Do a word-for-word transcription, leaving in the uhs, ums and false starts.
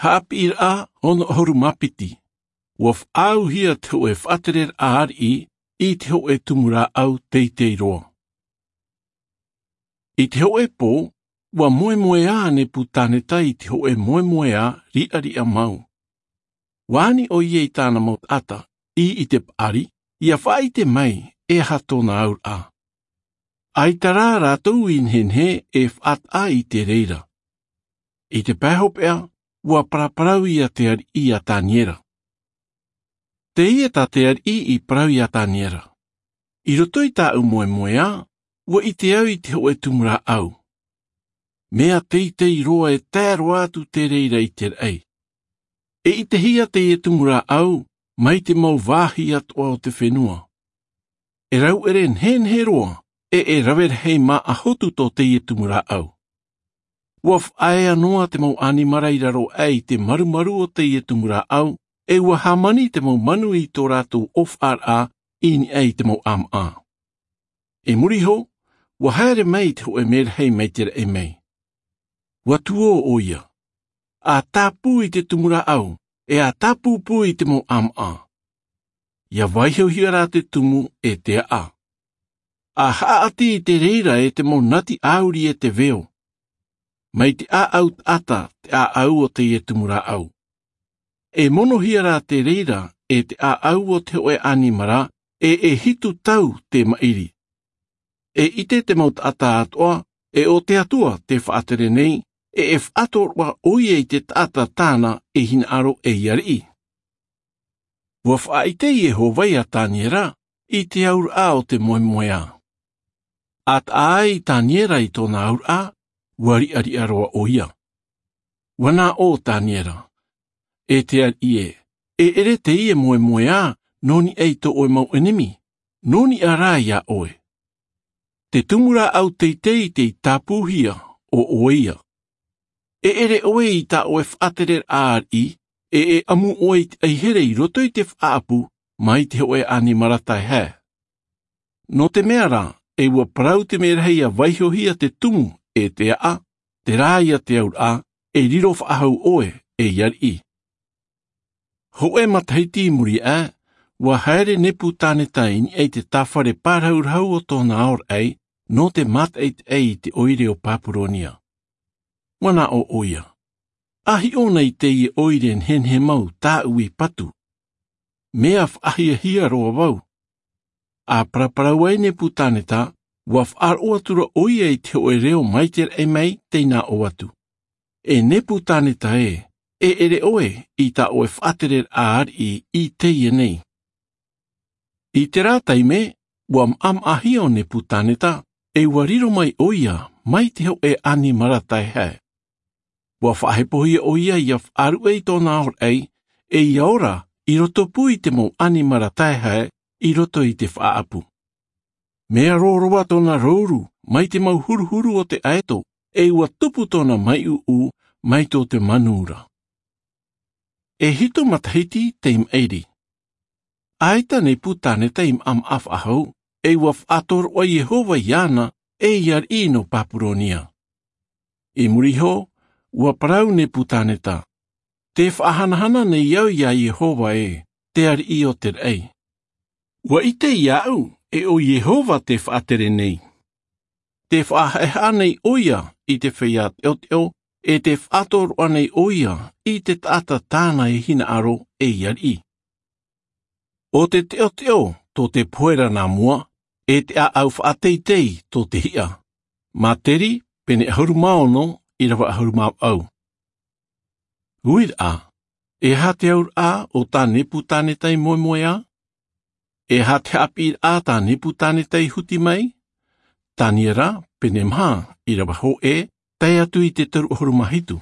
Haʻapiʻiraʻa ono ʻahuru mā piti. Ua faʻaauhia te hōʻē faʻatereraʻa ariʻi i te hōʻē tumu rāʻau teitei roa. I te hōʻē pō, ua moemoeā a Nepukaneta i te hōʻē moemoeā riʻariʻa mau. Ua ani ʻoia i tāna mau taʻata, i, i te paʻari, ʻia faʻaʻite mai e aha tōna auraʻa. ʻAita rā rātou i nehenehe e faʻataʻa i te reira. I te pae hopeʻa, ua paraparau ia te ariʻi iā Taniera. Teie tā te ariʻi i parau iā Taniera. I roto i tāʻu moemoeā, ua ʻite au i te hōʻē tumu rāʻau. Mea teitei roa e tae roa atu te reira i te raʻi. E ʻitehia teie tumu rāʻau, mai te mau vāhi atoʻa o te fenua. E rauʻere nehenehe roa, e, e rave rahi māʻa hotu tō teie tumu rāʻau. Ua faʻaea noa te mau ʻanimara i raro aʻe i te marumaru o teie tumu rāʻau, e ua hāmani te mau manu i tō rātou ʻōfaʻaraʻa i niʻa i te mau ʻāmaʻa. I muri iho, ua haere mai te hōʻē merahi mai te raʻi mai. Ua tuō ʻoia. ʻA tāpū i te tumu rāʻau, e ʻa tāpūpū i te mau ʻāmaʻa. ʻIa vaihohia rā te tumu e te aʻa. ʻA haʻaʻati i te reira e te mau nati ʻāuri e te veo. Mai te ʻāʻau taʻata te ʻāʻau o teie tumu rāʻau. E monohia rā te reira e te ʻāʻau o te hōʻē ʻanimara, e, e hitu tau te maʻiri. E ʻite te mau taʻata atoʻa, e ʻo te Atua tē faʻatere nei, e, e faʻatoroʻa ʻoia i te taʻata tāna e hinaʻaro ei ariʻi. Ua faʻaʻite Iehova iā Taniera i te auraʻa o te moemoeā. ʻA taʻa ai Taniera i tōna auraʻa, ua riʻariʻa roa ʻoia. Ua nā ʻō Taniera, E te ariʻi ē, e ʻere teie moemoeā nō niʻa i tō ʻoe mau ʻenemi, nō niʻa rā iā ʻoe. Te tumu rāʻau teitei tei tāpūhia, ʻo ʻoe ia. E ʻere ʻoe i tā ʻoe faʻatereraʻa ariʻi, e, e ʻamu ʻoe i te ʻaihere i roto i te faʻaʻapu, mai te hōʻē ʻanimara taehae. Nō te mea rā, e ua parau te merahi ʻia vaihohia te tumu e te aʻa, terā ia te auraʻa, e riro faʻahou ʻoe, ei ariʻi. Hōʻē matahiti i muri aʻe, ua haere Nepukaneta i niʻa i te tāfare pārahurahu o tōna aoraʻi, nō te mātaʻitaʻi i te ʻoire o Papuronia. Ua nā ʻō ʻoia, ʻA hiʻo na i teie ʻoire nehenehe mau tāʻu i patu. Mea faʻahiahia roa vau. ʻA paraparau ai Nepukaneta, ua faʻaroʻo atu ra ʻoia i te hōʻē reo mai te raʻi mai tei nā ʻō atu. E Nepukaneta ē, e ʻere ʻoe i tā ʻoe faʻatereraʻa ariʻi i teie nei. I terā taime, ua maʻamaʻahia ʻo Nepukaneta, e ua riro mai ʻoia, mai te hōʻē ʻanimara taehae. Ua faʻahepohia ʻoia ʻia faʻaruʻe i tōna aoraʻi, e ʻia ora, i rotopū i te mau ʻanimara taehae, i roto i te faʻaʻapu. Mea rōroa tōna rouru, mai te mau huruhuru o te ʻaeto, e ua tupu tōna maiʻuʻu, mai tō te manu ra. E hitu matahiti tei maʻiri. ʻAita Nepukaneta i maʻamaʻa faʻahou, e ua faʻatoroʻa Iehova iāna, ei ariʻi nō Papuronia. I muri iho, ua parau Nepukaneta, Tē faʻahanahana nei au iā Iehova ē, te ariʻi o te raʻi. Ua ʻite iāʻu, e ʻo Iehova tē faʻatere nei. Tē faʻahaʻehaʻa nei ʻoia i te feiā teʻoteʻo, e tē faʻatoroʻa nei ʻoia i te taʻata tāna e hinaʻaro ei ariʻi. ʻO te teʻoteʻo tō te pohe ra nā mua, e te ʻāʻau faʻateitei tō te hiʻa. Māteri, pene ʻahuru mā ono, ʻīrava ʻahuru mā vaʻu. Uiraʻa, e aha te auraʻa o tā Nepukaneta i moemoeā? E aha te haʻapiʻiraʻa tā Nepukaneta i huti mai? Taniera, pene maha, ʻīrava hōʻē, tae atu i te toru ʻahuru mā hitu.